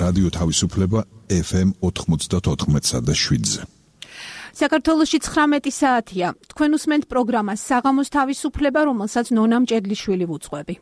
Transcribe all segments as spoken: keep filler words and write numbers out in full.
რადიო თავისუფლება ეფ ემ ოთხმოცდაოთხ და შვიდზე. საქართველოში ცხრამეტი საათია. თქვენ უსმენთ პროგრამას საღამოს თავისუფლება, რომელსაც ნონა მჭედლიშვილი ვუძღვები.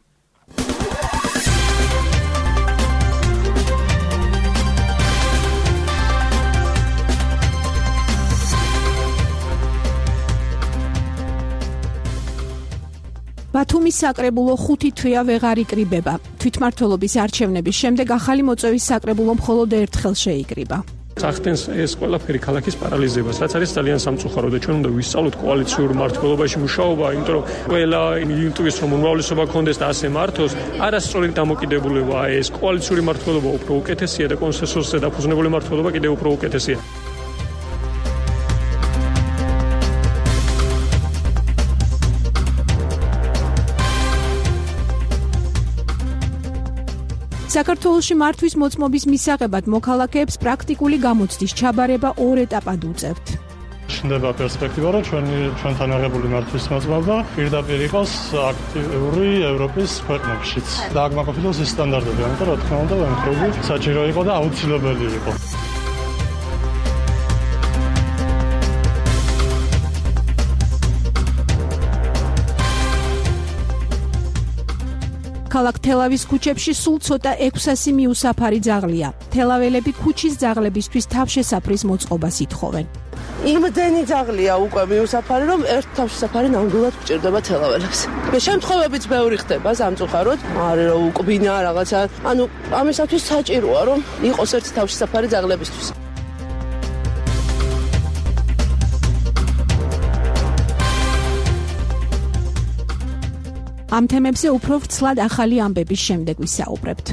ბათუმის საკრებულო ხუთი თვეა ვეღარ იკრიბება. თვითმმართველობის არჩევნების შემდეგ ახალი მოწვევის საკრებულო მხოლოდ ერთხელ შეიკრიბა. ახდენს ეს ყველაფერი ქალაქის პარალიზებას, რაც არის ძალიან სამწუხარო და ჩვენ უნდა ვისწავლოთ კოალიციურ მართლობაში მუშაობა, იმიტომ რომ ყველა იმიტყვის რომ უმრავლესობა კონდეს და ასე მართოს, არასწორი დამოკიდებულებაა ეს. კოალიციური მართლობა უფრო უკეთესია და კონსენსუსზე დაფუძნებული მართლობა კიდევ უფრო უკეთესია. საქართველოში მართვის მოწმობის მისაღებად მოქალაქეებს პრაქტიკული გამოცდის ჩაბარება ორ ეტაპად უწევთ. ჩნდება პერსპექტივა, რომ ჩვენი ჩვენთან აღებული მართვის მოწმობა პირდაპირ იყოს აქტიური ევროპის ქვეყნებშიც. და აქ მოკავშირეებს ეს სტანდარტები, ამიტომ რა თქმა უნდა, ამხრივი საჭირო იყო და აუცილებელი იყო. ქალაქ თელავის ქუჩებში სულ ცოტა ექვსასი მიუსაფარი ძაღლია. თელაველები ქუჩის ძაღლებისთვის თავშესაფრის მოწყობას ითხოვენ. იმდენი ძაღლია უკვე მიუსაფარი, რომ ერთ თავშესაფარი ნამდვილად გჭირდება თელაველებს. მე შემთხვევებიც ბევრი ხდება სამწუხაროდ, არის რომ უკბინა რაღაცა, ანუ ამისათვის საჭიროა რომ იყოს ერთი თავშესაფარი ძაღლებისთვის. ამ თემებზე უფრო ვრცლად ახალი ამბების შემდეგ ვისაუბრებთ.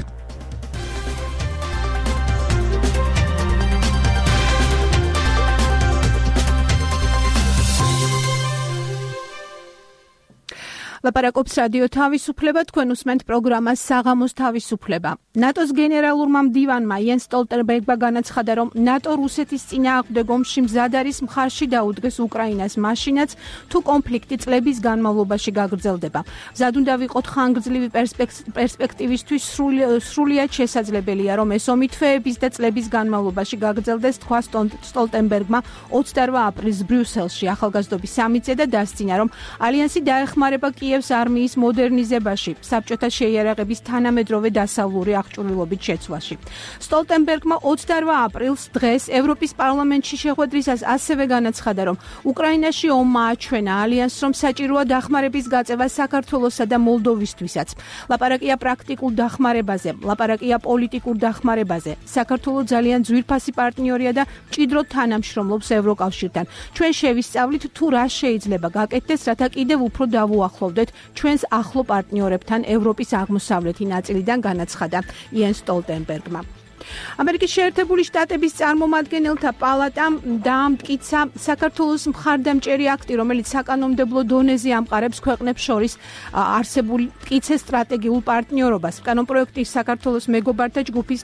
ლაპარაკობს რადიო თავისუფლება, თქვენ უსმენთ პროგრამას საღამოს თავისუფლება. ნატოს გენერალურმა მდივანმა იენს სტოლტენბერგმა განაცხადა, რომ ნატო რუსეთის წინააღმდეგ ომში მზად არის მხარში დაუდგეს უკრაინას მაშინაც, თუ კონფლიქტი წლების განმავლობაში გაგრძელდება. მზად უნდა ვიყოთ ხანგრძლივი პერსპექტივისთვის, სრულიად შესაძლებელია, რომ ეს ომი თვეების და წლების განმავლობაში გაგრძელდეს, თქვა სტოლტენბერგმა ოცდაორ აპრილს ბრიუსელში ახალგაზრდობის სამიტზე და დასცინა, რომ ალიანსი დაეხმარება კიევს არმიის მოდერნიზებაში, საბჭოთა შეიარაღების თანამედროვე დასავლური აღჭურვილობით შეცვლაში. სტოლტენბერგმა ოცდაორ აპრილს დღეს ევროპის პარლამენტში შეხვედრისას ასევე განაცხადა, რომ უკრაინაში ომმა აჩვენა ალიანსს, რომ საჭიროა დახმარების გაწევა საქართველოსა და მოლდოვისთვისაც. ლაპარაკია პრაქტიკულ დახმარებაზე, ლაპარაკია პოლიტიკურ დახმარებაზე. საქართველო ძალიან ძვირფასი პარტნიორია და მჭიდროდ თანამშრომლობს ევროკავშირთან. ჩვენ შევისწავლით, თუ რა შეიძლება გაკეთდეს, რათა კიდევ უფრო დავუახლოვდეთ ჩვენს ახლო პარტნიორებთან ევროპის აღმოსავლეთი ნაწილიდან, განაცხადა იენს სტოლტენბერგმა. ამერიკის შეერთებული შტატების წარმომადგენელთა პალატამ დაამტკიცა საქართველოს მხარდამჭერი აქტი, რომელიც საკანონმდებლო დონეზე ამყარებს ქვეყნებს შორის არსებულ მტკიცეს სტრატეგიულ პარტნიორობას. კანონპროექტი საქართველოს მეგობართა ჯგუფის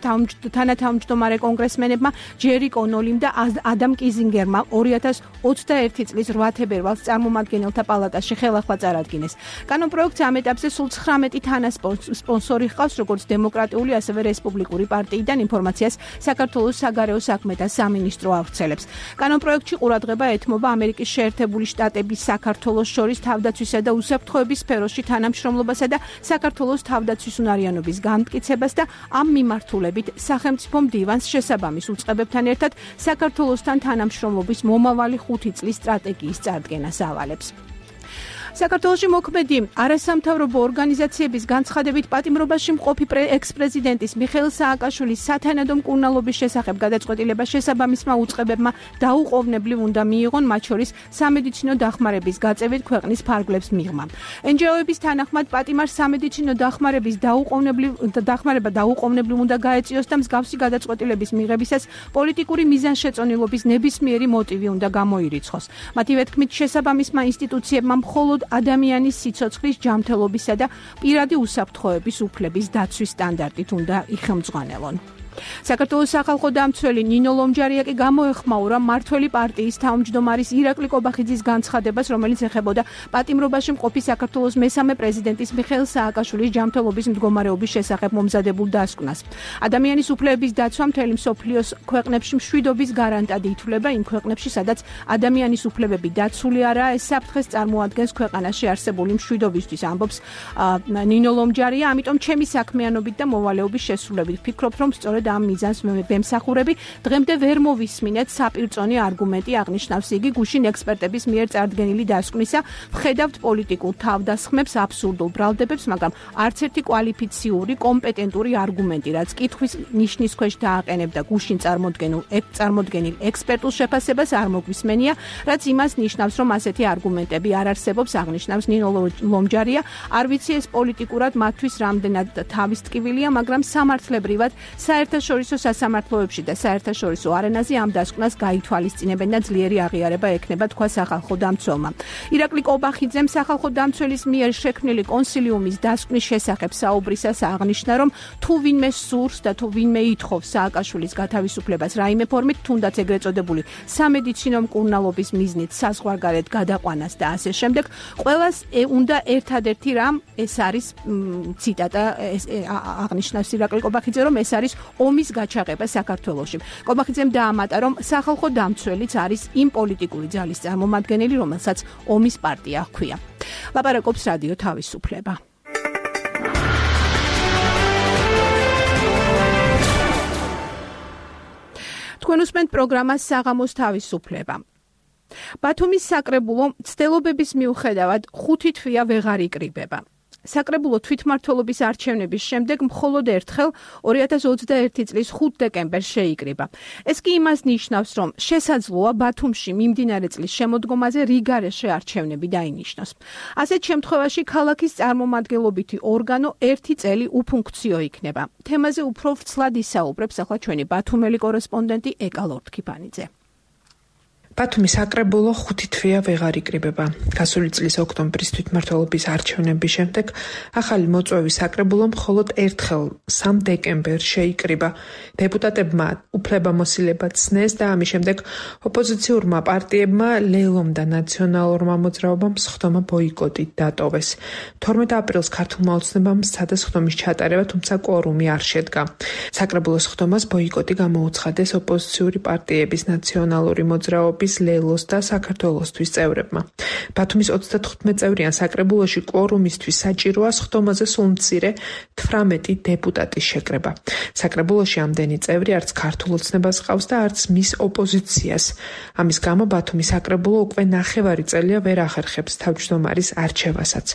თანათავმჯდომარე კონგრესმენებმა ჯერი კონოლიმ და ადამ კიზინგერმა ორი ათას ოცდაერთი წლის რვა თებერვალს წარმომადგენელთა პალატაში ხელახლა წარადგინეს. კანონპროექტს ამ ეტაპზე სულ ცხრამეტი თანასპონსორი ჰყავს, როგორც დემოკრატიული, ასევე რესპუბლიკური პარტიიდან. ინფორმაციას საქართველოს საგარეო საქმეთა სამინისტრო ავრცელებს. კანონპროექტში ყურადღება ეთმობა ამერიკის შეერთებული შტატების საქართველოს შორის თავდაცვისა და უსაფრთხოების სფეროში თანამშრომლობასა და საქართველოს თავდაცვის უნარიანობის განმტკიცებას და ამ მიმართულებით სახელმწიფო მდივანს შესაბამის უწყებებთან ერთად საქართველოსთან თანამშრომლობის მომავალი ხუთი წლის სტრატეგიის წარდგენას ავალებს. საქართველოში მოქმედი არასამთავრობო ორგანიზაციების განცხადებით პატიმრობაში მყოფი ექს-პრეზიდენტის მიხეილ სააკაშვილის სათანადო მკურნალობის შესახებ გადაწყვეტილება შესაბამისმა უწყებებმა დაუყოვნებლივ უნდა მიიღონ, მათ შორის სამედიცინო დახმარების გაწევით ქვეყნის ფარგლებს მიღმა. εν ჯი ო-ების თანახმად პატიმარს სამედიცინო დახმარების დაუყოვნებლივ დახმარება დაუყოვნებლივ უნდა გაეწიოს და მსგავსი გადაწყვეტილების მიღებისას პოლიტიკური მიზანშეწონილობის ნებისმიერი მოტივი უნდა გამოირიცხოს. მათივე თქმით, შესაბამისმა ინსტიტუციებმა მხოლოდ ადამიანის სიცოცხლის ჯანმრთელობისა და პირადი უსაფრთხოების უფლების დაცვის სტანდარტით უნდა იხელმძღვანელონ. საქართველოს სახალხო დამცველი ნინო ლომჯარია კი გამოეხმაურა მმართველი პარტიის თავმჯდომარის ირაკლი კობახიძის განცხადებას, რომელიც ეხებოდა პატიმრობაში მყოფი საქართველოს მესამე პრეზიდენტის მიხეილ სააკაშვილის ჯანმრთელობის მდგომარეობის შესახებ მომზადებულ დასკვნას. ადამიანის უფლებების დაცვა მთელი მსოფლიოს ქვეყნებში მშვიდობის გარანტად ითვლება იმ ქვეყნებში, სადაც ადამიანის უფლებები დაცული არაა, ეს საფრთხეს წარმოადგენს ქვეყანაში არსებული მშვიდობისთვის, ამბობს ნინო ლომჯარია. ამიტომ ჩემი საქმიანობით და მოვალეობის შესრულებით ვფიქრობ, რომ სწორედ ამ მიზანს ვემსახურები. დღემდე ვერ მოვისმინეთ საპირწონე არგუმენტი, აღნიშნავს იგი გუშინ ექსპერტების მიერ წარდგენილი დასკვნისა. ვხედავთ პოლიტიკურ თავდასხმებს, აბსურდულ ბრალდებებს, მაგრამ არც ერთი კვალიფიციური, კომპეტენტური არგუმენტი, რაც კითხვის ნიშნის ქვეშ დააყენებდა გუშინ წარმოდგენილ წარმოდგენილ ექსპერტულ შეფასებას არ მოგვისმენია, რაც იმას ნიშნავს, რომ ასეთი არგუმენტები არ არსებობს, აღნიშნავს ნინო ლომჯარია. არ ვიცი ეს პოლიტიკურად მათთვის რამდენად თავის ტკივილია, მაგრამ სამართლებრივად საერთაშორისო სასამართლოებში და საერთაშორისო არენაზე ამ დასკვნას გაითვალისწინებენ და ძლიერი აღიარება ექნება, თქვა სახალხო დამცველმა. ირაკლი კობახიძემ სახალხო დამცველის მიერ შექმნილი კონსილიუმის დასკვნის შესახებ საუბრისას აღნიშნა, რომ თუ ვინმე სურს და თუ ვინმე ითხოვს სააკაშვილის გათავისუფლებას რაიმე ფორმით, თუნდაც ეგრეთ წოდებული სამედიცინო მკურნალობის მიზნით საზღვარგარეთ გადაყვანას და ასე შემდეგ, ყველას უნდა ერთადერთი რამ, ეს არის ციტატა, აღნიშნავს ირაკლი კობახიძე, რომ ეს არის ომის გაჩაღება საქართველოში. კობახიძემ დაამატა, რომ სახალხო დამცველიც არის იმ პოლიტიკური ძალის წარმომადგენელი, რომელსაც ომის პარტია ჰქვია. ლაპარაკობს რადიო თავისუფლება. თქვენ უსმენთ პროგრამას საღამოს თავისუფლება. ბათუმის საკრებულო ცდილობების მიუხედავად ხუთი თვეა ვეღარ იკრიბება. საკრებულო თვითმმართველობის არჩევნების შემდეგ მხოლოდ ერთხელ ორი ათას ოცდაერთი წლის ხუთი დეკემბერს შეიკრიბა. ეს კი იმას ნიშნავს, რომ შესაძლოა ბათუმში მიმდინარე წლის შემოდგომაზე რიგარეშე არჩევნები დაინიშნოს. ასეთ შემთხვევაში ქალაქის წარმომადგენლობითი ორგანო ერთი წელი უფუნქციო იქნება. თემაზე უფრო ვრცლად ისაუბრებს ახლა ჩვენი ბათუმელი კორესპონდენტი ეკა ლორთქიფანიძე. ბათუმის საკრებულო ხუთი თვეა ვეღარ იკრიბება. გასული წლის ოქტომბრის თვითმმართველობის არჩევნების შემდეგ ახალი მოწვევის საკრებულო მხოლოდ ერთხელ სამი დეკემბერს შეიკრიბა. დეპუტატებმა უფლებამოსილება ცნეს და ამის შემდეგ ოპოზიციურმა პარტიებმა ლელომ და ნაციონალურმა მოძრაობამ სხდომა ბოიკოტით დატოვეს. თორმეტ აპრილს ქართულმა ოცნებამ სცადა სხდომის ჩატარება, თუმცა კვორუმი არ შედგა. საკრებულოს სხდომას ბოიკოტი გამოუცხადეს ოპოზიციური პარტიების ნაციონალური მოძრაობის ლელოს და საქართველოსთვის წევრებმა. ბათუმის ოცდათხუთმეტ წევრიან საკრებულოში კვორუმისთვის საჭიროა სხდომაზე სულ მცირე თვრამეტი დეპუტატის შეკრება. საკრებულოში ამდენი წევრი არც ქართულ ოცნებას ყავს და არც მის ოპოზიციას. ამის გამო ბათუმის საკრებულო უკვე ნახევარი წელია ვერ ახერხებს თავმჯდომარის არჩევასაც.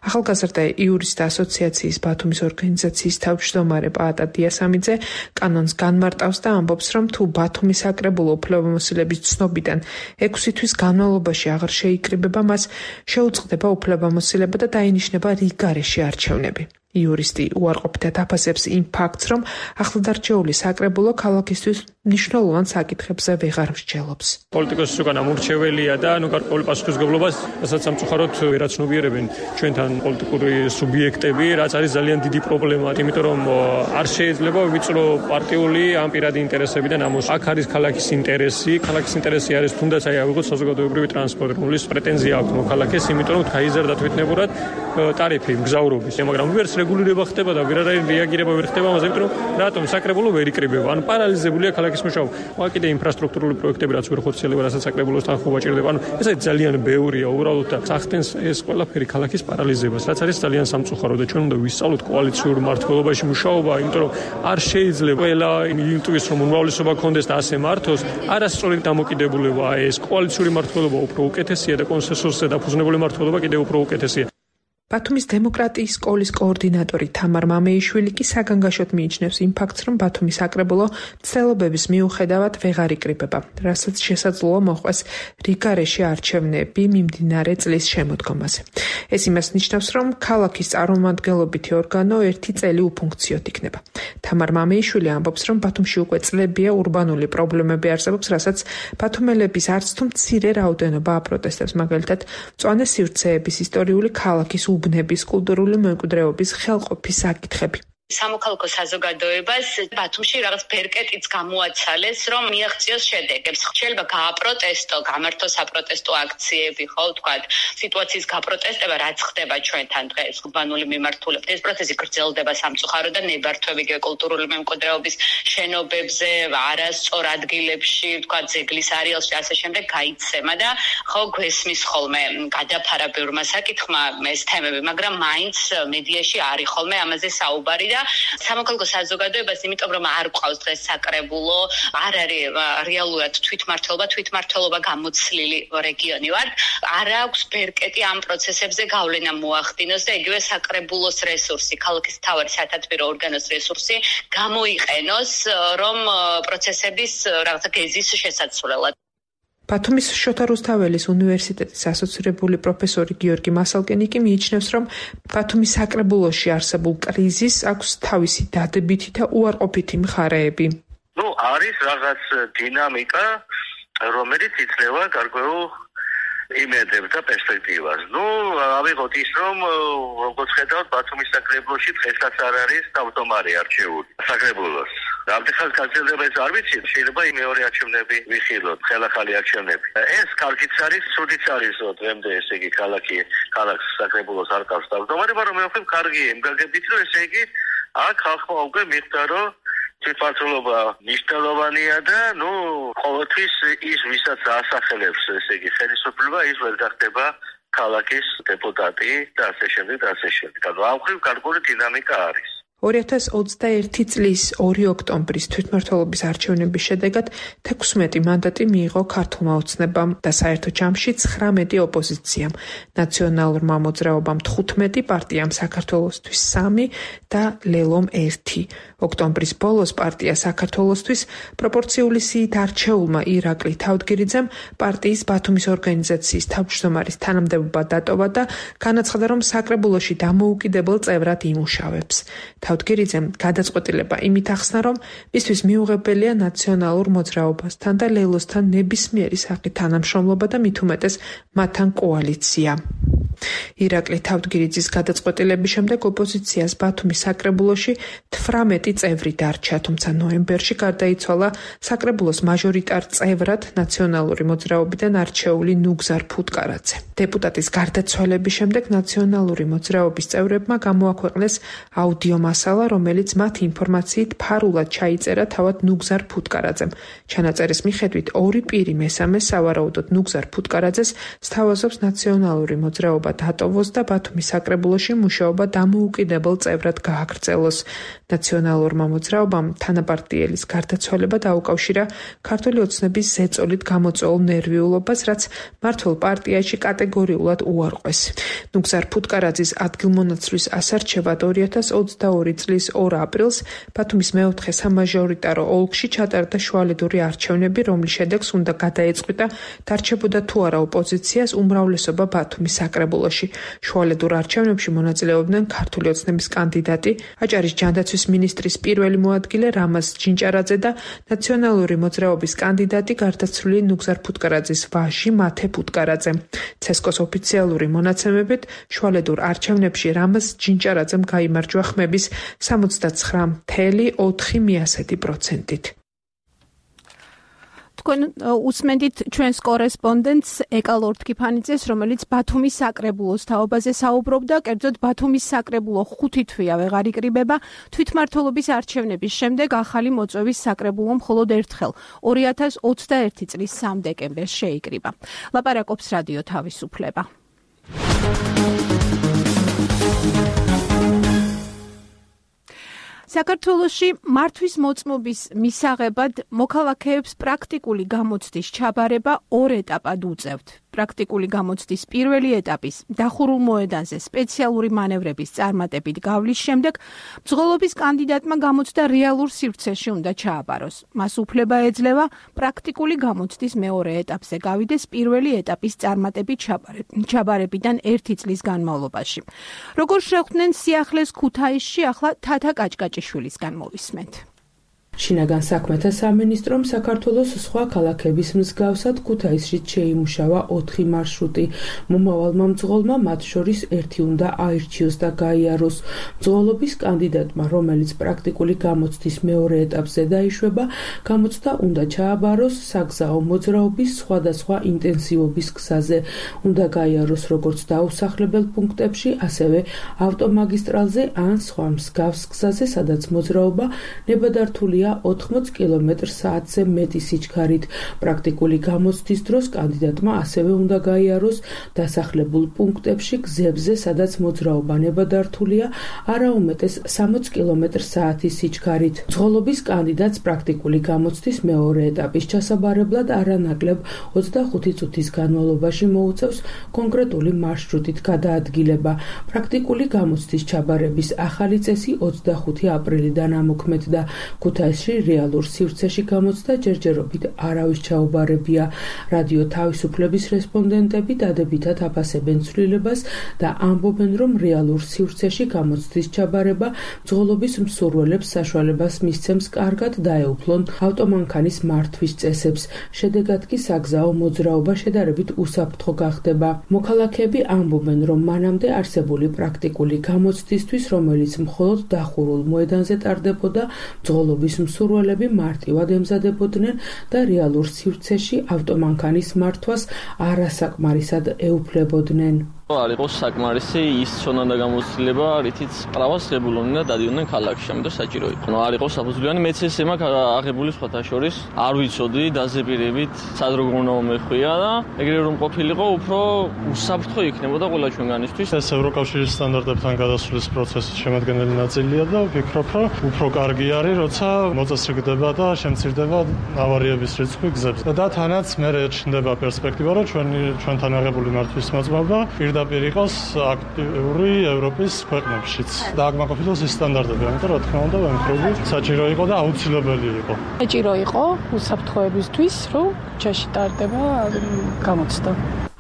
ახალგაზრდა იურისტთა ასოციაციის ბათუმის ორგანიზაციის თავმჯდომარე პაატა დიასამიძე კანონს განმარტავს და ამბობს, რომ თუ ბათუმის საკრებულო უფლებამოსილების ცნობიდან ექვსი თვის განმავლობაში აღარ შეიკრიბება, მას შეუწყდება უფლებამოსილება და დაინიშნება რიგარეშე არჩევნები. იურისტი უარყოფითად აფასებს იმ ფაქტს, რომ ახლადარჩეული საკრებულო ქალაქისთვის მნიშვნელოვან საკითხებზე ვეღარ მსჯელობს. პოლიტიკოსის უკან ამორჩეველია და ნუ გარკვეული პასუხისმგებლობას, რასაც სამწუხაროდ ვერაცნობიერებენ ჩვენთან პოლიტიკური სუბიექტები, რაც არის ძალიან დიდი პრობლემა, იმიტომ რომ არ შეიძლება ვიწრო პარტიული ან პირადი ინტერესებიდან ამოს. აქ არის ქალაქის ინტერესი, ქალაქის ინტერესი არის თუნდაც აი აღიღოთ საზოგადოებრივი ტრანსპორტი, რომლის პრეტენზია აქვს მოქალაქეს, იმიტომ რომ გაიზარდა თვითნებურად ტარიფი მგზავრობის, მაგრამ ვერც რეგულირება ხდება და ვერანაირი რეაგირება ვერ ხდება ამაზე, იმიტომ რომ რატომ საკრებულო ვერ იკრიბება? ანუ პარალიზებულია ქალაქის მუშაობა. მაგ კიდე ინფრასტრუქტურული პროექტები რაც ვერ ხორციელდება, რასაც საკრებულოსთან ხობა ჭირდება. ანუ ეს არის ძალიან ბევრია უბრალოდ და სახდენს ეს ყველაფერი ქალაქის პარალიზებას, რაც არის ძალიან სამწუხარო და ჩვენ უნდა ვისწავლოთ კოალიციურ მართლობაში მუშაობა, იმიტომ რომ არ შეიძლება ყველა ილტვის რომ უმრავლესობა კონდეს და ასე მართოს, არასწორი დამოკიდებულება ეს კოალიციური მართლობა უფრო უკეთესია და კონსენსუსზე დაფუძნებული მართლობა კიდევ უფრო უკეთესია. ბათუმის დემოკრატიის სკოლის კოორდინატორი თამარ მამეიშვილი კი საგანგაშოდ მიიჩნევს იმ ფაქტს, რომ ბათუმის საკრებულო ცდილობების მიუხედავად ვეღარ იკრიბება, რასაც შესაძლოა მოყვეს რიგარეშე არჩევნები მიმდინარე წლის შემოდგომაზე. ეს იმას ნიშნავს, რომ ქალაქის წარმომადგენლობითი ორგანო ერთი წელი უფუნქციოდ იქნება. თამარ მამეიშვილი ამბობს, რომ ბათუმში უკვე წლებია ურბანული პრობლემები არსებობს, რასაც ბათუმელების არც თუ მცირე რაოდენობა აპროტესტებს, მაგალითად, მწვანე სივრცეების ისტორიული ქალაქის უბნების, კულტურული მემკვიდრეობის, ხელყოფის საკითხები. სამოქალაქო საზოგადოებას ბათუმში რაღაც ბერკეტიც გამოაცალეს, რომ მიაღწიოს შედეგებს. შეიძლება გააპროტესტო, გამართო საპროტესტო აქციები, ხო, ვთქვათ, სიტუაციის გაპროტესტება, რაც ხდება ჩვენთან დღეს უბანული მიმართულებით. ეს პროცესი გრძელდება სამწუხაროდ და ნებართვები კულტურული მემკვიდრეობის შენობებზე, არასწორ ადგილებში, ვთქვათ, ძეგლის არეალში ასე შემდეგ გაიცემა და ხო გვესმის ხოლმე გადაფარა ბევრმა საკითხმა ეს თემები, მაგრამ მაინც მედიაში არის ხოლმე ამაზე საუბარი და სამოქალაქო საზოგადოებას, იმიტომ რომ არ ყავს დღეს საკრებულო, არ არის რეალურად თვითმმართველობა, თვითმმართველობა გამოცლილი რეგიონი ვარ, არ აქვს ბერკეტი ამ პროცესებზე გავლენა მოახდინოს და იგივე საკრებულოს რესურსი, ქალაქის მთავარი სათათბირო ორგანოს რესურსი გამოიყენოს, რომ პროცესების რაღაცა გეზის შესაცვლელად. ბათუმის შოთა რუსთაველის უნივერსიტეტის ასოცირებული პროფესორი გიორგი მასალკენი კი მიიჩნევს, რომ ბათუმის საკრებულოში არსებულ კრიზისს აქვს თავისი დადებითი და უარყოფითი მხარეები. ნუ არის რაღაც დინამიკა, რომელიც იძლევა გარკვეულ იმედებს და პერსპექტივას. ნუ ავიღოთ ის, რომ როგორც ხედავთ, ბათუმის საკრებულოში დღესაც არ არის თავმჯდომარე არჩეული საკრებულოს. ამდენხანს გაგრძელდება ეს არ ვიცი, შეიძლება მეორე არჩევნები ვიხილოთ, ხელახალი არჩევნები. ეს კარგიც არის, სრუდიც არის, დღემდე ესე იგი ქალაქი, ქალაქს საკრებულოს არ ყავს თავმჯდომარე, მაგრამ მე ვფიქრობ, კარგია იმ გაგებით, რომ ესე იგი აქ ხალხმა უკვე მიხვდა, რომ თვითმმართველობა მნიშვნელოვანია და ნუ ყოველთვის ის, ვისაც ასახელებს ესე იგი ხელისუფლება, ის ვერ გახდება ქალაქის დეპუტატი და ასე შემდეგ და ასე შემდეგ. ანუ ამ ხრივ გარკვეული დინამიკა არის. ორი ათას ოცდაერთი წლის ორი ოქტომბრის თვითმმართველობის არჩევნების შედეგად თექვსმეტი მანდატი მიიღო ქართულმა ოცნებამ და საერთო ჯამში ცხრამეტი ოპოზიციამ, ნაციონალურმა მოძრაობამ თხუთმეტი, პარტიამ საქართველოსთვის სამი და ლელომ ერთი. ოქტომბრის ბოლოს პარტია საქართველოსთვის პროპორციული სიით არჩეულმა ირაკლი თავდგირიძემ პარტიის ბათუმის ორგანიზაციის თავმჯდომარის თანამდებობა დატოვა და განაცხადა, რომ საკრებულოში დამოუკიდებელ წევრად იმუშავებს. თავდგირიძემ გადაწყვეტილება იმით ახსნა, რომ მისთვის მიუღებელია ნაციონალურ მოძრაობასთან და ლელოსთან ნებისმიერი სახით თანამშრომლობა და მით უმეტეს მათთან კოალიცია. ირაკლი თავდგირიძის გადაწყვეტილების შემდეგ ოპოზიციას ბათუმის საკრებულოში თვრამეტი წევრი დარჩა, თუმცა ნოემბერში გარდაიცვალა საკრებულოს მაჟორიტარ წევრად ნაციონალური მოძრაობიდან არჩეული ნუგზარ ფუტკარაძე. დეპუტატის გარდაცვალების შემდეგ ნაციონალური მოძრაობის წევრებმა გამოაქვეყნეს აუდიო მასალა, რომელიც მათ ინფორმაციით ფარულად ჩაიწერა თავად ნუგზარ ფუტკარაძემ. ჩანაწერის მიხედვით ორი პირი მესამე სავარაუდოდ ნუგზარ ფუტკარაძეს სთავაზობს ნაციონალური მოძრაობა დატოვოს და ბათუმის საკრებულოში მუშაობა დამოუკიდებელ წევრად გააგრძელოს. ნაციონალურმა მოძრაობამ თანაპარტიელის გარდაცვალება დაუკავშირა ქართული ოცნების ზეწოლით გამოწვეულ ნერვიულობას, რაც მმართველ პარტიაში კატეგორიულად უარყვეს. ნუგზარ ფუტკარაძის ადგილმონაცვლის ასარჩევად ორი ათას ოცდაორი წლის ორ აპრილს ბათუმის მეოთხე სამაჟორიტარო ოლქში ჩატარდა შუალედური არჩევნები, რომლის შედეგს უნდა გადაეწყვიტა დარჩებოდა თუ არა ოპოზიციას უმრავლესობა ბათუმის საკრებულოში. შუალედურ არჩევნებში მონაწილეობდნენ ქართული ოცნების კანდიდატი, აჭარის ჯანდაცვის მინისტრის პირველი მოადგილე რამაზ ჯინჭარაძე და ნაციონალური მოძრაობის კანდიდატი გარდაცვლილი ნუგზარ ფუტკარაძის ვაჟი მათე ფუტკარაძე. ცესკოს ოფიციალური მონაცემებით შუალედურ არჩევნებში რამაზ ჯინჭარაძემ გაიმარჯვა ხმების სამოცდაცხრა целых ოთხი პროცენტით. თქვენ უსმენთ ჩვენს კორესპონდენტს ეკალორ თქიფანიძეს, რომელიც ბათუმის საკრებულოს თაობაზე საუბრობდა, კერძოდ ბათუმის საკრებულო ხუთი თვეა ვეღარ იკრიბება, თვითმმართველობის არჩევნების შემდეგ ახალი მოწვევის საკრებულო მხოლოდ ერთხელ ორი ათას ოცდაერთი წლის სამ დეკემბერს შეიკრიბა. ლაპარაკობს რადიო თავისუფლება. საქართველოში მართვის მოწმობის მისაღებად მოქალაქეებს პრაქტიკული გამოცდის ჩაბარება ორ ეტაპად უწევთ. პრაქტიკული გამოცდის პირველი ეტაპის დახურულ მოედანზე სპეციალური მანევრების წარმატებით გავლის შემდეგ ბრძოლობის კანდიდატმა გამოცდა რეალურ სივრცეში უნდა ჩააბაროს. მას უფლება ეძლევა პრაქტიკული გამოცდის მეორე ეტაპზე გავიდეს პირველი ეტაპის წარმატებით ჩაბარებიდან ერთი წლის განმავლობაში. როგორ შეხვდნენ სიახლეს ქუთაისში, ახლა თათა კაჭკაჭიშვილისგან მოვისმენთ. შინაგან საქმეთა სამინისტრომ საქართველოს სხვა ქალაქების მსგავსად ქუთაისშიც შეიმუშავა ოთხი მარშრუტი. მომავალმა მძღოლმა მათ შორის ერთი უნდა აირჩიოს და გაიაროს. მძღოლობის კანდიდატმა, რომელიც პრაქტიკული გამოცდის მეორე ეტაპზე დაიშვება, გამოცდა უნდა ჩააბაროს საგზაო მოძრაობის სხვადასხვა ინტენსივობის გზაზე. უნდა გაიაროს როგორც დაუსახლებელ პუნქტებში, ასევე ავტომაგისტრალზე ან სხვა მსგავს გზაზე, სადაც მოძრაობა ნებადართულია ოთხმოც კილომეტრ საათზე მეტი სიჩქარით. პრაქტიკული გამოცდის დროს კანდიდატმა ასევე უნდა გაიაროს დასახლებულ პუნქტებში გზებზე, სადაც მოძრაობა ნებადართულია არაუმეტეს სამოც კილომეტრ საათის სიჩქარით. მძღოლობის კანდიდატს პრაქტიკული გამოცდის მეორე ეტაპის ჩასაბარებლად არანაკლებ ოცდახუთი წუთის განმავლობაში მოუწევს კონკრეტული მარშრუტით გადაადგილება. პრაქტიკული გამოცდის ჩაბარების ახალი წესი ოცდახუთი აპრილიდან ამოქმედდა. ქუთაისში რეალურ სივრცეში გამოცდა ჯერჯერობით არავის ჩაუბარებია. რადიო თავისუფლების რესპონდენტები დადებითად აფასებენ ცვლილებას და ამბობენ, რომ რეალურ სივრცეში გამოცდის ჩაბარება მძღოლობის მსურველებს საშუალებას მისცემს კარგად დაეუფლონ ავტომანქანის მართვის წესებს. შედეგად კი საგზაო მოძრაობა შედარებით უსაფრთხო გახდება. მოქალაქეები ამბობენ, რომ მანამდე არსებული პრაქტიკული გამოცდისთვის, რომელიც მხოლოდ დახურულ მოედანზე ტარდებოდა, მძღოლობის მსურველები მარტივად ემზადებოდნენ და რეალურ სივრცეში ავტომანქანის მართვას არასაკმარისად ეუფლებოდნენ. არ იყოს საკმარისი ის ცოდნა და გამოცდილება, რითიც პრავას ღებულობდნენ და დადიოდნენ ქალაქში, ამიტომ საჭირო იყო. არ იყოს საფუძვლიანი, მეც ესე მაქვს აღებული სხვათა შორის. არ ვიცოდი დაზეპირებით, სად როგორ უნდა მეხვია და ეგრევე რომ ყოფილიყო, უფრო უსაფრთხო იქნებოდა ყველა ჩვენგანისთვის. ეს ევროკავშირის სტანდარტებთან გადასვლის პროცესის შემადგენელი ნაწილია და ვფიქრობ, რომ უფრო კარგი არის, როცა მოწესრიგდება და შემცირდება ავარიების რიცხვი გზებზე. და თანაც მე ჩნდება პერსპექტივა, რომ ჩვენი ჩვენთან აღებული მართვის მოძრაობა პირდაპირ იყოს აქტიური ევროპის ქვეყნებშიც. და აქ მაკოფილოს ის სტანდარტები, ამიტომ რა თქმა უნდა, ვემხრობი, საჭირო იყო და აუცილებელი იყო. საჭირო იყო უსაფრთხოებისთვის, რომ ჩაში ტარდება გამოცდა.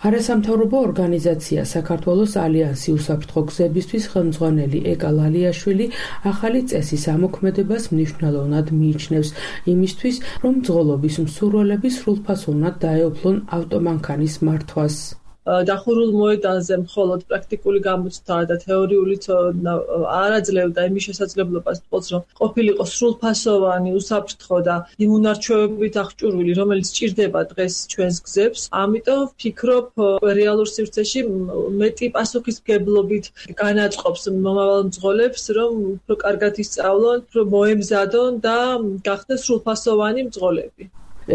არასამთავრობო ორგანიზაცია საქართველოს ალიანსი უსაფრთხო გზებისთვის ხელმძღვანელი ეკა ლალიაშვილი ახალი წესის ამოქმედებას მნიშვნელოვნად მიიჩნევს იმისთვის, რომ მძღოლობის მსურველები სრულფასოვნად დაეუფლონ ავტომანქანის მართვას. დახურულ მოედანზე მხოლოდ პრაქტიკული გამოცდა და თეორიული ცოდნა არ აძლევდა იმის შესაძლებლობას, რომ ყოფილიყო სრულფასოვანი, უსაფრთხო და იმუნარჩევებით აღჭურვილი, რომელიც ჭირდება დღეს ჩვენს გზებს. ამიტომ ვფიქრობ, რეალურ სივრცეში მეტი პასუხისმგებლობით განაწყობს მომავალ მძღოლებს, რომ უფრო კარგად ისწავლონ, უფრო მოემზადონ და გახდნენ სრულფასოვანი მძღოლები.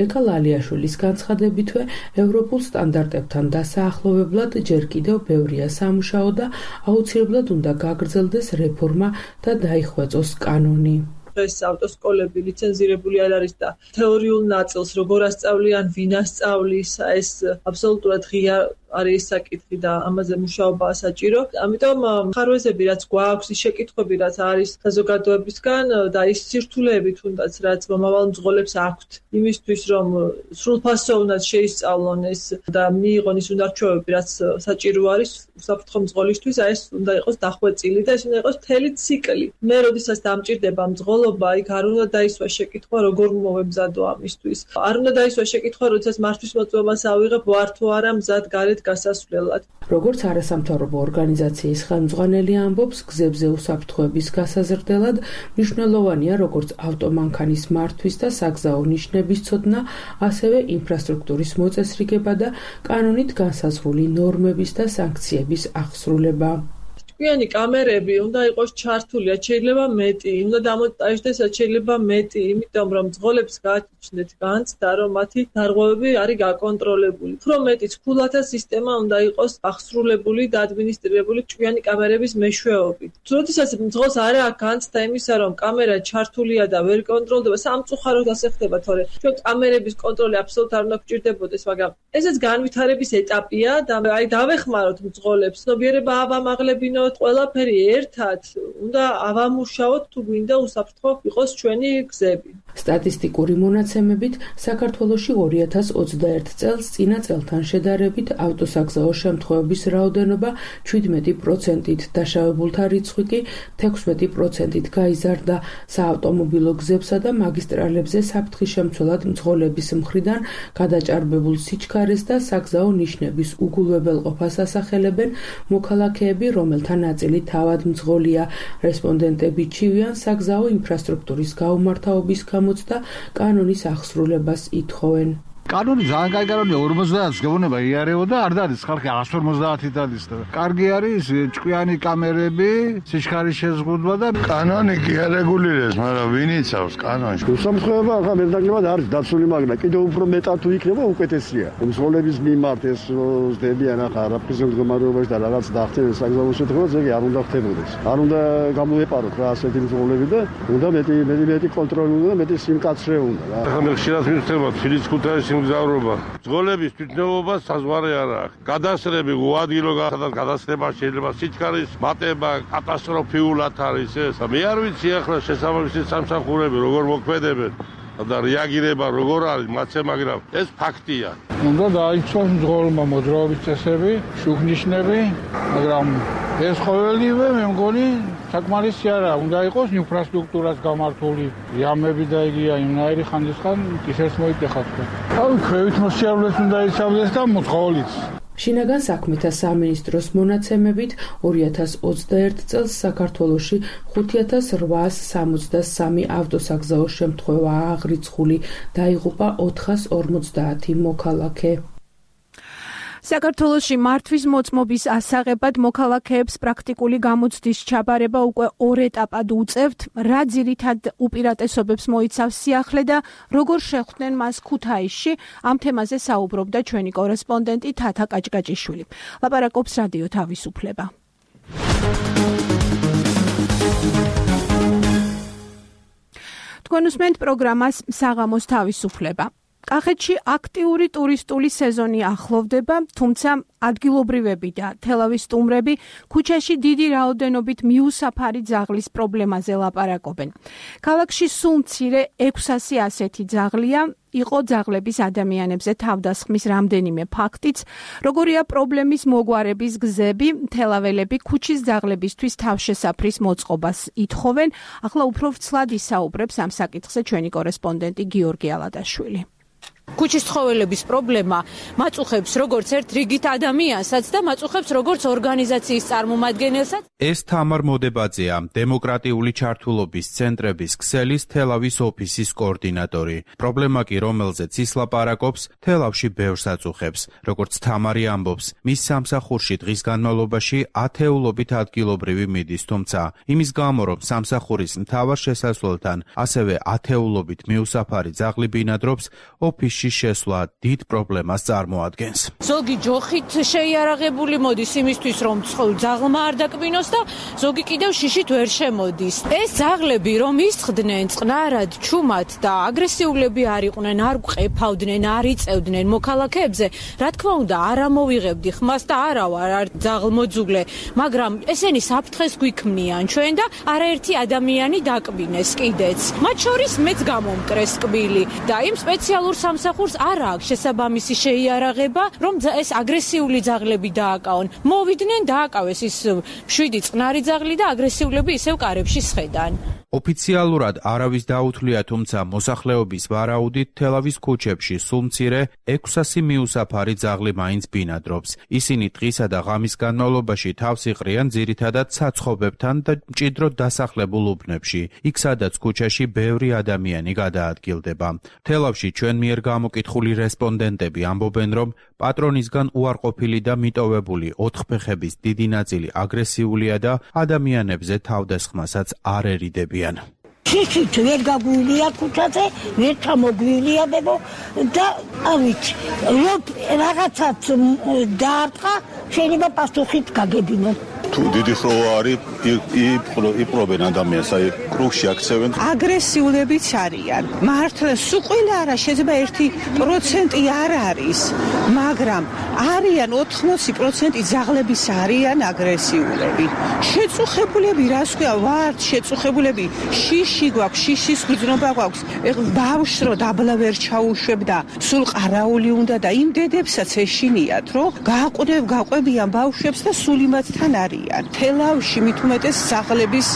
ეკა ლალიაშვილის განცხადებითვე ევროპულ სტანდარტებთან დასაახლოვებლად ჯერ კიდევ ბევრია სამუშაო და აუცილებლად უნდა გაგრძელდეს რეფორმა და დაიხვეწოს კანონი. ეს ავტოსკოლები ლიცენზირებული არ არის და თეორიულ ნაწილს როგორ ასწავლიან, ვინ ასწავლის, ეს აბსოლუტურად ღია არის საკითხი და ამაზე მუშაობაა საჭირო. ამიტომ ხარვეზები რაც გვაქვს, ის შეკითხვები რაც არის საზოგადოებისგან და ის სირთულეები თუნდაც რაც მომავალ მძღოლებს აქვთ იმისთვის, რომ სრულფასოვნად შეისწავლონ ეს და მიიღონ ის უნარჩვევები, რაც საჭირო არის უსაფრთხო მძღოლისთვის, ეს უნდა იყოს დახვეწილი და ეს უნდა იყოს მთელი ციკლი. მე როდესაც დამჭირდება მძღოლობა, იქ არ უნდა დაისვა შეკითხვა, როგორ მოვემზადო ამისთვის. არ უნდა დაისვა შეკითხვა, როდესაც მართვის მოწმობას ავიღებ, ვარ თუ არა მზად გარეთ გასასვლელად. როგორც არასამთავრობო ორგანიზაციის ხელმძღვანელი ამბობს, გზებზე უსაფრთხოების გასაზრდელად მნიშვნელოვანია როგორც ავტომანქანის მართვის და საგზაო ნიშნების ცოდნა, ასევე ინფრასტრუქტურის მოწესრიგება და კანონით განსაზღვრული ნორმების და სანქციების აღსრულება. ჭკვიანი კამერები უნდა იყოს ჩართული, შეიძლება მეტი, უნდა დამონტაჟდეს, შეიძლება მეტი, იმიტომ რომ მძღოლებს გააჩნდეთ განცდა, რომ მათი დარღვევები არის გაკონტროლებული. უფრო მეტი ცქულათა სისტემა უნდა იყოს აღსრულებული და ადმინისტრირებული ჭკვიანი კამერების მეშვეობით. როდესაც მძღოლს არ აქვს განცდა იმისა, რომ კამერა ჩართულია და ვერ კონტროლდება, სამწუხაროდ ასე ხდება, თორე ჩვენ კამერების კონტროლი აბსოლუტურად არ უნდა გვჭირდებოდეს, მაგრამ ესეც განვითარების ეტაპია და აი დავეხმაროთ მძღოლებს, ცნობიერება ავამაღლებინოთ, ყველაფერი ერთად უნდა ავამუშაოთ თუ გვინდა უსაფრთხო იყოს ჩვენი გზები. სტატისტიკური მონაცემებით საქართველოში ორი ათას ოცდაერთ წელს წინა წელთან შედარებით ავტოსაგზაო შემთხვევების რაოდენობა შვიდმეტი პროცენტით, დაშავებულთა რიცხვი კი თექვსმეტი პროცენტით გაიზარდა. საავტომობილო გზებსა და მაგისტრალებზე საფრთხის-შემცველად მძღოლების მხრიდან გადაჭარბებულ სიჩქარეს და საგზაო ნიშნების უგულვებელყოფას ასახელებენ მოქალაქეები, რომელთა ნაწილი თავად მძღოლია. რესპონდენტები ჩივიან საგზაო ინფრასტრუქტურის გაუმართავობის გამოცდა კანონის აღსრულებას ითხოვენ. კანონი ძალიან კაი კანონია, ორმოცდაათს გეუბნება იარებოდა, არ არის ხალხი εκατს ორმოცდაათი დადის და კარგი არის ჭკვიანი კამერები, სიჩქარის შეზღუდვა და კანონი კი არეგულირებს, მაგრამ ვინ იცავს კანონში? უსამართლობა ახლა მერდაგლებად არის დაცული, მაგრამ კიდევ უფრო მეტად თუ იქნება უკეთესია. მძღოლების მიმართ ეს ზდებიან ახლა არაფრის მდგომარეობაში და რაღაც დახტიან საგზაო შეთხოვებას, ეგ არ უნდა ხდებოდეს. არ უნდა გამოეპაროთ რა ასეთი მძღოლები და უნდა მეტი მეტი მეტი კონტროლი უნდა და მეტი სიმკაცრე უნდა რა. ახლა მე ხშირად მივხვდება თბილისის ქუთაისის მგზავრობა. მძღოლების თვითნებობა საზღვარი არ აქვს. გადასრები უადგილო გადასრება შეიძლება სიჩქარის მატება კატასტროფიულად არის ეს. მე არ ვიცი ახლა შესაბამისი სამსახურები როგორ მოქმედებენ და რეაგირება როგორ არის მათზე, მაგრამ ეს ფაქტია. უნდა დაიცვას მძღოლმა მოძრაობის წესები, შუქნიშნები, მაგრამ ეს ყოველივე მე მგონი საკმარისი არა, უნდა იყოს ინფრასტრუქტურას გამართული იამები და იგია იმნაირი ხანდისხან ისერს მოიტეხათ. ავი ქვევით მოსიარულეს უნდა იცავდეს და მძღოლიც. შინაგან საქმეთა სამინისტროს მონაცემებით ორი ათას ოცდაერთ წელს საქართველოში ხუთი ათას რვაას სამოცდასამი ავტოსაგზაო შემთხვევაა აღრიცხული, დაიღუპა ოთხას ორმოცდაათი მოქალაქე. საქართველოში მართვის მოწმობის ასაღებად მოქალაქეებს პრაქტიკული გამოცდის ჩაბარება უკვე ორ ეტაპად უწევთ, რა ძირითად უპირატესობებს მოიცავს სიახლე და როგორ შეხვდნენ მას ქუთაისში, ამ თემაზე საუბრობდა ჩვენი კორესპონდენტი თათა კაჭკაჭიშვილი. ლაპარაკობს რადიო თავისუფლება. თქვენ უსმენთ პროგრამას საღამოს თავისუფლება. კახეთში აქტიური ტურისტული სეზონი ახლოვდება, თუმცა ადგილობრივები და თელავის სტუმრები ქუჩაში დიდი რაოდენობით მიუსაფარი ძაღლის პრობლემაზე ლაპარაკობენ. ქალაქში სულ მცირე ექვსასი ასეთი ძაღლია, იყო ძაღლების ადამიანებზე თავდასხმის რამდენიმე ფაქტიც, როგორია პრობლემის მოგვარების გზები, თელაველები ქუჩის ძაღლებისთვის თავშესაფრის მოწყობას ითხოვენ. ახლა უფრო ვრცლად ისაუბრებს ამ საკითხზე ჩვენი კორესპონდენტი გიორგი ალადაშვილი. ქუჩის ცხოველების პრობლემა მაწუხებს როგორც ერთ რიგით ადამიანსაც და მაწუხებს როგორც ორგანიზაციის წარმომადგენელსაც. ეს თამარ მოდებაძეა, დემოკრატიული ჩართულობის ცენტრების ქსელის თელავის ოფისის კოორდინატორი. პრობლემა კი, რომელზეც ის ლაპარაკობს, თელავში ბევრს აწუხებს. როგორც თამარი ამბობს, მის სამსახურში დღის განმავლობაში ათეულობით ადგილობრივი მიდის, თუმცა იმის გამო, რომ სამსახურის მთავარ შესასვლელთან ასევე ათეულობით მიუსაფარი ძაღლი ბინადრობს, ოფისში შესვლა დიდ პრობლემას წარმოადგენს. ზოგი ჯოხით შეიარაღებული მოდის იმისთვის, რომ ძაღლმა არ დაკბინოს და ზოგი კიდევ შიშით ვერ შემოდის. ეს ძაღლები რომ ისხდნენ წყნარად, ჩუმად და აგრესიულები არ იყვნენ, არ ყეფავდნენ, არ იწევდნენ მოქალაქეებზე, რა თქმა უნდა, არ ამოვიღებდი ხმას და არა ვარ არ ძაღლმოძულე, მაგრამ ესენი საფრთხეს გვიქმნიან ჩვენ და არაერთი ადამიანი დაკბინეს კიდეც. მათ შორის მეც გამომკრეს კბილი და იმ სპეციალურ სამსახურს არ აქვს შესაბამისი შეიარაღება, რომ ეს აგრესიული ძაღლები დააკავონ. მოვიდნენ, დააკავეს ის შვიდი წყნარი ძაღლი და აგრესიულები ისევ კარებში სხედან. ოფიციალურად არავის დაუთვლია, თუმცა მოსახლეობის ვარაუდით თელავის ქუჩებში სულ მცირე ექვსასი მიუსაფარი ძაღლი მაინც ბინადრობს. ისინი დღისა და ღამის განმავლობაში თავს იყრიან ძირითადად საცხობებთან და მჭიდროდ დასახლებულ უბნებში, იქ სადაც ქუჩაში ბევრი ადამიანი გადაადგილდება. თელავში ჩვენ მიერ გამოკითხული რესპონდენტები ამბობენ, რომ პატრონისგან უარყოფილი და მიტოვებული ოთხფეხების დიდი ნაწილი აგრესიულია და ადამიანებზე თავდასხმასაც არ ერიდებიან. შიშით ვერ გაგვილია ქუჩაზე, ვერ ჩამოგვილია ბებო და ავით, რომ რაღაცაც დაარტყა, შეიძლება პასუხით გაგებინო. თუ დიდი ხროვა არის იპყრობენ ადამიანს, აი კრუგში აქცევენ. აგრესიულებიც არიან. მართლა სულ ყველა არა შეიძლება ერთი პროცენტი არ არის, მაგრამ არიან ოთხმოცი პროცენტი ძაღლების არიან აგრესიულები. შეწუხებულები რას ქვია, ვართ შეწუხებულები, შიში გვაქვს, შიშის გრძნობა გვაქვს. ეხლა ბავშვს რო დაბლა ვერ ჩაუშვებ და სულ ყარაული უნდა და იმ დედებსაც ეშინიათ, რომ გააყვნევ გაყვებიან ბავშვებს და სულ იმათთან არიან. თელავში მით უმეტეს ძაღლების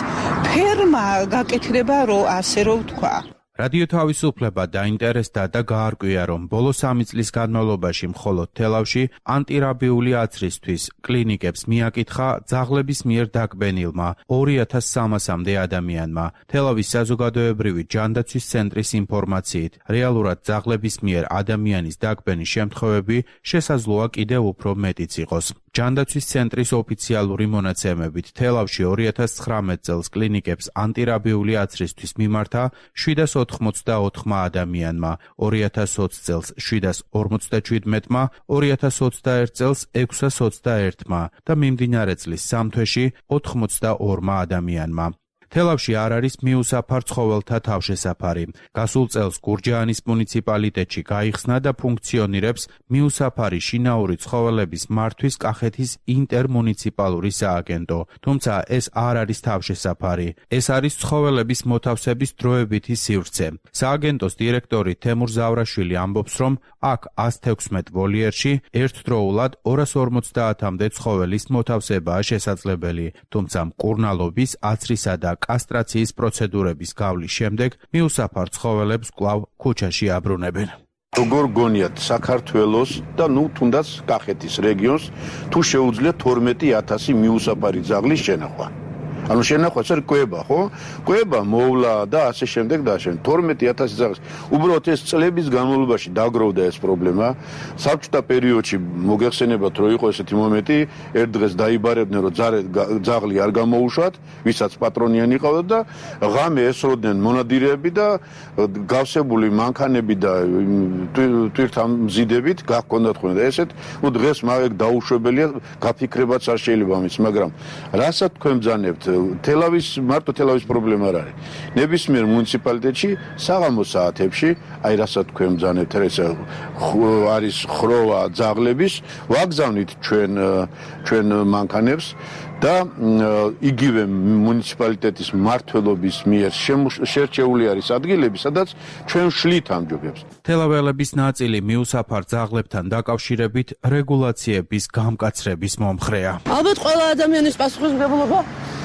ფერმა გაკეთდება, რომ ასე რომ ვთქვა. რადიო თავისუფლება დაინტერესდა და გაარკვია, რომ ბოლო სამი წლის განმავლობაში მხოლოდ თელავში ანტირაბიული აცრისთვის კლინიკებს მიაკითხა ძაღლების მიერ დაკბენილმა ორი ათას სამასამდე ადამიანმა. თელავის საზოგადოებრივი ჯანდაცვის ცენტრის ინფორმაციით, რეალურად ძაღლების მიერ ადამიანის დაკბენის შემთხვევები შესაძლოა კიდევ უფრო მეტიც იყოს. ჯანდაცვის ცენტრის ოფიციალური მონაცემებით თელავში ორი ათას ცხრამეტ წელს კლინიკებს ანტირაბიული აცრისთვის მიმართა შვიდას ოთხმოცდაოთხმა ადამიანმა, ორი ათას ოცი წელს შვიდას ორმოცდაჩვიდმეტმა, ორი ათას ოცდაერთ წელს ექვსას ოცდაერთმა და მიმდინარე წლის სამ თვეში ოთხმოცდაორმა ადამიანმა. თელავში არ არის მიუსაფარ ცხოველთა თავშესაფარი. გასულ წელს გურჯაანის მუნიციპალიტეტში გაიხსნა და ფუნქციონირებს მიუსაფარი შინაური ცხოველების მართვის კახეთის ინტერმუნიციპალური სააგენტო. თუმცა ეს არ არის თავშესაფარი. ეს არის ცხოველების მოთავსების დროებითი სივრცე. სააგენტოს დირექტორი თემურ ზავრაშვილი ამბობს, რომ აქ ას თექვსმეტ ვოლიერში ერთდროულად ორას ორმოცდაათამდე ცხოველის მოთავსებაა შესაძლებელი, თუმცა მკურნალობის, აცრისა და კასტრაციის პროცედურების გავლის შემდეგ მიუსაფარ ცხოველებს კვლავ ქუჩაში აბრუნებენ. როგორ გონიათ საქართველოს და ნუ თუნდაც კახეთის რეგიონს თუ შეუძლია თორმეტი ათასი მიუსაფარი ძაღლის შენახვა. ანუ შენახვა ეს კვება, ხო? კვება მოვლა და ასე შემდეგ და ასე. თორმეტი ათასი ძაღლის. უბრალოდ ეს წლების განმავლობაში დაგროვდა ეს პრობლემა. საბჭოთა პერიოდში მოგეხსენებათ, რომ იყო ესეთი მომენტი, ერთ დღეს დაიბარებდნენ, რომ ძაღლი არ გამოუშვათ, ვისაც პატრონიანი ყავდა და ღამე ესროდნენ მონადირეები და გავსებული მანქანები და თვითამზიდებით გაქონდათ ხოლმე და ესეთ, ნუ დღეს მაგ დაუშვებელია, გაფიქრებაც არ შეიძლება ამის, მაგრამ რასაც თქვენ ბრძანებთ თელავის მარტო თელავის პრობლემა არ არის. ნებისმიერ მუნიციპალიტეტში საღამო საათებში, აი რასაც თქვენ ბრძანებთ, ეს არის ხროვა ძაღლების, ვაგზავნით ჩვენ ჩვენ მანქანებს და იგივე მუნიციპალიტეტის მმართველობის მიერ შერჩეული არის ადგილები, სადაც ჩვენ შლით ამ ჯობებს. თელაველების ნაწილი მიუსაფარ ძაღლებთან დაკავშირებით რეგულაციების გამკაცრების მომხრეა. ალბათ ყველა ადამიანის პასუხისმგებლობა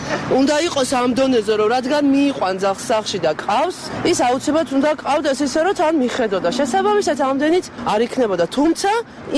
უნდა იყოს ამ დონეზე, რომ რადგან მიიყვან ძაღლს სახლში და ყავს, ის აუცილებლად უნდა ყავდეს ისე, რომ თან მიხედოდა. შესაბამისად ამდენიც არ იქნებოდა, თუმცა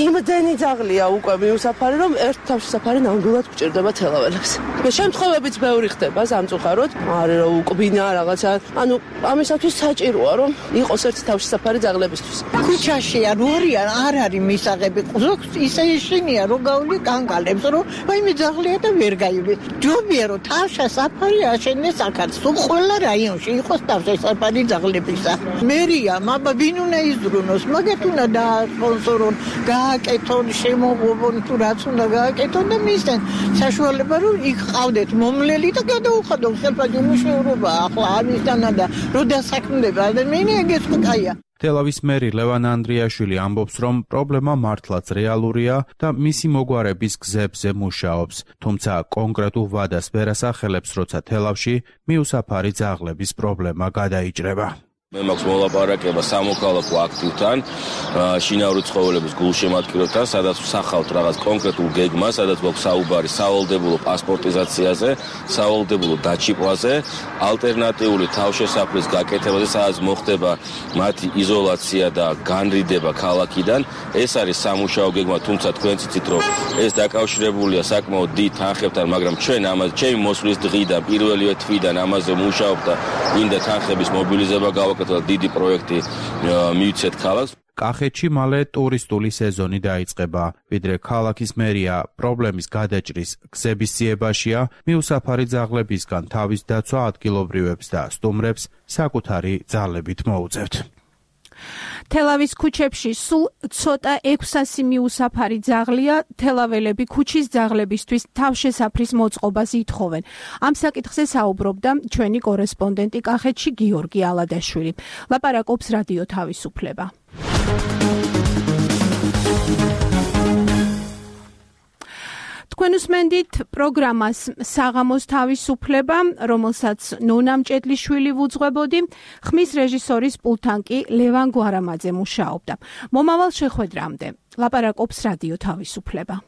იმდენი ძაღლია უკვე მიუსაფარი, რომ ერთ თავშესაფარი ნამდვილად გვჭირდება თელაველებს. შემთხვევებიც ბევრი ხდება სამწუხაროდ, არის რომ უკბინა რაღაცა, ანუ ამისათვის საჭიროა, რომ იყოს ერთი თავშესაფარი ძაღლებისთვის. ქუჩაში ან ორიან არ არის მისაღები, ზოგს ისე ეშინია, რომ გავლი კანკალებს, რომ ვაიმე ძაღლია და ვერ გაივლის. ჯობია რომ თავშესაფარი აშენდეს აქაც, თუ ყველა რაიონში იყოს თავშესაფარი ძაღლებისა. მერია, მაბა ვინ უნდა იზრუნოს, მაგათ უნდა დაასპონსორონ, გააკეთონ, შემოღობონ თუ რაც უნდა გააკეთონ და მისცენ საშუალება, რომ იქ ყავდეთ მომლელი და გადაუხადონ ხელფასი მუშაობა ახლა ამისთანა და რო დასაქმდება ადამიანი ეგეც კაია. თელავის მერი ლევან ანდრიაშვილი ამბობს, რომ პრობლემა მართლაც რეალურია და მისი მოგვარების გზებზე მუშაობს, თუმცა კონკრეტულ ვადას ვერ ასახელებს, როცა თელავში მიუსაფარი ძაღლების პრობლემა გადაიჭრება. მე მაქვს მოლაპარაკება სამოქალაქო აქტივთან, შინაური ცხოველების გულშემატკივრებთან, სადაც ვსახავთ რაღაც კონკრეტულ გეგმას, სადაც გვაქვს საუბარი სავალდებულო პასპორტიზაციაზე, სავალდებულო დაჩიყვაზე, ალტერნატიული თავშესაფრის გაკეთებაზე, სადაც მოხდება მათი იზოლაცია და განრიდება ქალაქიდან. ეს არის სამუშაო გეგმა, თუმცა თქვენც იცით, რომ ეს დაკავშირებულია საკმაოდ დიდ თანხებთან, მაგრამ ჩვენ ამაზე, ჩემი მოსვლის დღიდან, პირველივე თვიდან ამაზე მუშაობ და მინდა თანხების მობილიზება გავაკეთოთ. დიდი პროექტი მივცეთ ქალაქს. კახეთში მალე ტურისტული სეზონი დაიწყება, ვიდრე ქალაქის მერია პრობლემის გადაჭრის გზების ძიებაშია, მიუსაფარი ძაღლებისგან თავის დაცვა ადგილობრივებს და სტუმრებს საკუთარი ძალებით მოუწევთ. თელავის ქუჩებში სულ ცოტა ექვსასი მიუსაფარი ძაღლია, თელაველები ქუჩის ძაღლებისთვის თავშესაფრის მოწყობას ითხოვენ. ამ საკითხზე საუბრობდა ჩვენი კორესპონდენტი კახეთში გიორგი ალადაშვილი. ლაპარაკობს რადიო თავისუფლება. თქვენ უსმენდით პროგრამას საღამოს თავისუფლება, რომელსაც ნონა მჭედლიშვილი ვუძღვებოდი, ხმის რეჟისორის პულტთან კი ლევან გვარამაძე მუშაობდა. მომავალ შეხვედრამდე ლაპარაკობს რადიო თავისუფლება.